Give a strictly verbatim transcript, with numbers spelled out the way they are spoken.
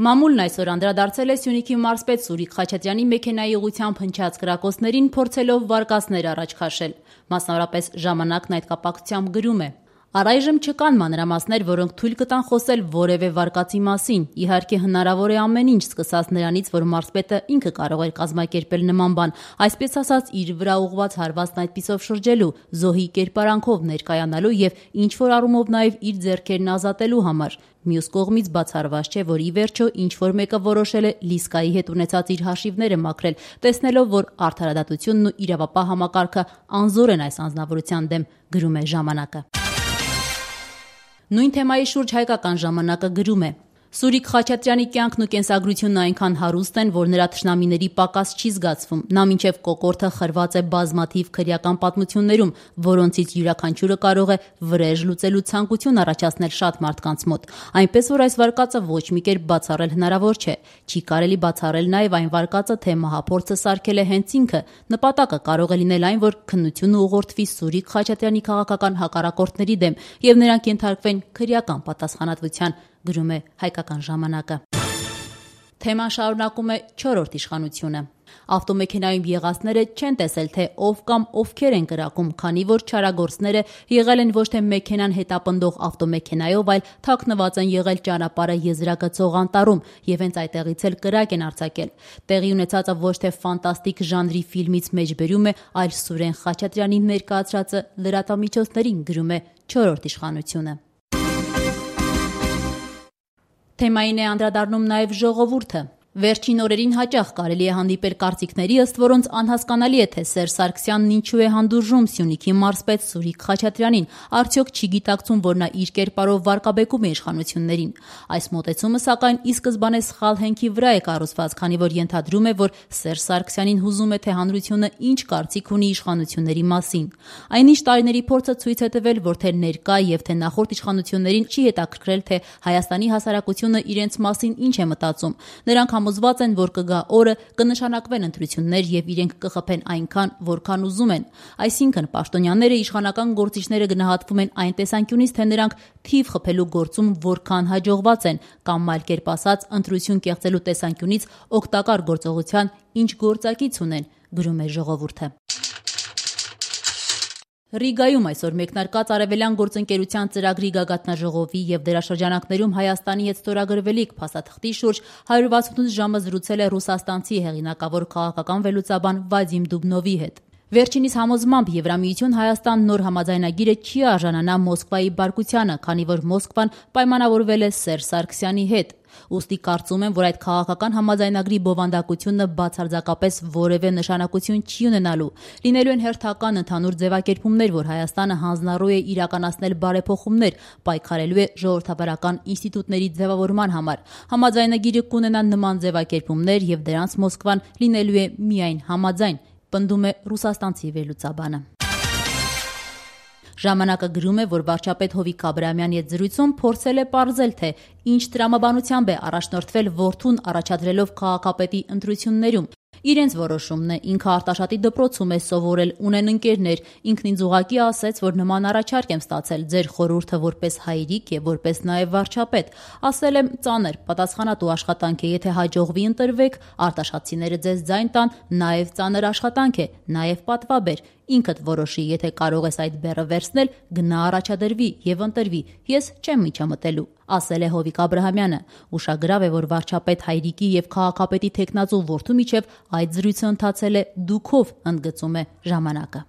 Մամուլն այսօր անդրադարձել է Սյունիքի մարզպետ Սուրիկ Խաչատրյանի մեքենայի ուղղությամբ հնչած կրակոցներին, փորձելով վարկածներ առաջ քաշել։ Մասնավորապես «Ժամանակ»-ն այդ կապակցությամբ գրում է. Առայժմ չկան մանրամասներ, որոնք թույլ կտան խոսել որևէ վարկածի մասին։ Իհարկե հնարավոր է ամեն ինչ, սկսած նրանից, որ մարզպետը ինքը կարող էր կազմակերպել նման բան, այսպես ասած իր վրա ուղղված հարվածն այդպիսով շրջելու, զոհի կերպարանքով ներկայանալու եւ ինչ-որ առումով նաեւ իր ձեռքերն ազատելու համար։ Մյուս կողմից բացառված չէ, որ ի վերջո ինչ-որ մեկը որոշել է Լիսկայի հետ ունեցած իր հաշիվները մաքրել, տեսնելով, որ արդարադատությունն ու իրավապահ համակարգը անզոր են այս անձնավորության դեմ, գրում է «Ժամանակը»։ Նույն թեմայի շուրջ «Հայկական ժամանակը» գրում է. Սուրիկ Խաչատրյանի կյանքն ու կենսագրությունն այնքան հարուստ են, որ նրա թշնամիների պակաս չի զգացվում։ Նա մինչև կոկորդը խրված է բազմաթիվ քրեական պատմություններում, որոնցից յուրաքանչյուրը կարող է վրեժ լուծելու ցանկություն առաջացնել շատ մարդկանց մոտ։ Այնպես որ այս վարկածը ոչ մի կերպ բացառել հնարավոր չէ։ Չի կարելի բացառել նաև այն վարկածը, թե մահափորձը սարքել է հենց ինքը։ Նպատակը կարող է լինել այն, որ քննությունը ուղղորդվի Սուրիկ Խաչատրյանի քաղաքական հակառակորդների դեմ եւ նրանք ենթարկվեն քրեական պատասխանատվության, գրում է «Հայկական ժամանակը»։ Թեման շարունակում է չորրորդ իշխանությունը։ Ավտոմեքենայում եղածները չեն տեսել, թե ով կամ ովքեր են կրակում, քանի որ չարագործները եղել են ոչ թե մեքենան հետապնդող ավտոմեքենայով, այլ թաքնված են եղել ճանապարհը եզրագծող անտառում եւ հենց այդտեղից էլ կրակ են արձակել։ Տեղի ունեցածը ոչ թե ֆանտաստիկ ժանրի ֆիլմից մեջբերում է, այլ Սուրեն Խաչատրյանի ներկայացրածը լրատվամիջոցներին, գրում է չորրորդ իշխանությունը։ Թեմային է անդրադառնում նաև «Ժողովուրդը»։ Վերջին օրերին հաճախ կարելի է հանդիպել կարծիքների, ըստ որոնց անհասկանալի է, թե Սերժ Սարգսյանն ինչու է հանդուրժում Սյունիքի մարզպետ Սուրիկ Խաչատրյանին, արդյոք չի գիտակցում, որ նա իր կերպարով վարկաբեկում է իշխանություններին։ Այս մոտեցումը, սակայն, ի սկզբանե սխալ հենքի վրա է կառուցված, քանի որ ենթադրում է, որ Սերժ Սարգսյանին հուզում է, թե հանրությունը ինչ կարծիք ունի իշխանությունների մասին։ Այնինչ տարիների փորձը ցույց է տվել, որ թե ներկա եւ թե նախորդ իշխանություններին չի հետաքրքրել, թե Հայաստանի հասարակությունը իրենց մասին ինչ է մտածում։ Նրանք համոզված են, որ կգա օրը, կնշանակվեն ընտրություններ եւ իրենք կխփեն այնքան, որքան ուզում են։ Այսինքն պաշտոնյաները, իշխանական գործիչները գնահատվում են այն տեսանկյունից, թե նրանք թիվ խփելու գործում որքան հաջողված են, կամ այլ կերպ ասած, ընտրություն կեղծելու տեսանկյունից օգտակար գործողության ինչ գործակից ունեն, գրում է «Ժողովուրդը»։ Ռիգայում այսօր մեկնարկած Արևելյան գործընկերության ծրագրի գագաթնաժողովի եւ դերաշրջանակներում Հայաստանի հետ ստորագրվելիք փաստաթղթի շուրջ հարյուր վաթսունութ ժամը զրուցել է ռուսաստանցի հեղինակավոր քաղաքական վերլուծաբան Վադիմ Դուբնովի հետ։ Վերջինիս համոզմամբ Եվրամիություն Հայաստան նոր համաձայնագիրը չի արժանանա Մոսկվայի բարկությանը, քանի որ Մոսկվան պայմանավորվել է Սերժ Սարգսյանի հետ։ Ուստի կարծում եմ, որ այդ քաղաքական համաձայնագրի բովանդակությունը բացարձակապես որևէ նշանակություն չի ունենալու։ Լինելու են հերթական ընդհանուր ձևակերպումներ, որ Հայաստանը հանձնառու է իրականացնել բարեփոխումներ, պայքարելու է ժողովրդավարական ինստիտուտների ձևավորման համար։ Համաձայնագիրը կունենա նման ձևակերպումներ եւ դրանց Մոսկվան լինելու է միայն համաձայն, պնդում է ռուսաստանցի վերլուծաբանը։ Ժամանակը գրում է, որ վարչապետ Հովիկ Աբրահամյանի հետ զրույցում փորձել է պարզել, թե ինչ տրամաբանությամբ է առաջնորդվել որդուն առաջադրելով քաղաքապետի ընտրություններում։ Իրենց որոշումն է, ինքը Արտաշատի դպրոցում է սովորել, ունեն ընկերներ, ինքն ինձ ուղղակի ասեց, որ նման առաջարկ եմ ստացել, ձեր խորհուրդը որպես հայրիկ եւ որպես նաեւ վարչապետ։ Ասել եմ, ծանր, պատասխանատու աշխատանք է, եթե հաջողվի ընտրվեք, արտաշատցիները ձեզ ձայն տան, նաեւ ծանր աշխատանք է, նաեւ պատվաբեր։ Ինքդ որոշի, եթե կարող ես այդ բեռը վերցնել, գնա առաջադրվի եւ ընտրվի։ Ես չեմ միջամտելու, ասել է Հովիկ Աբրահամյանը։ Ուշագրավ է, որ վարչապետ հայրիկի եւ քաղաքապետի թեկնածու որդու միջև այդ զրույցը ընթացել է դուքով, ընդգծում է ժամանակը։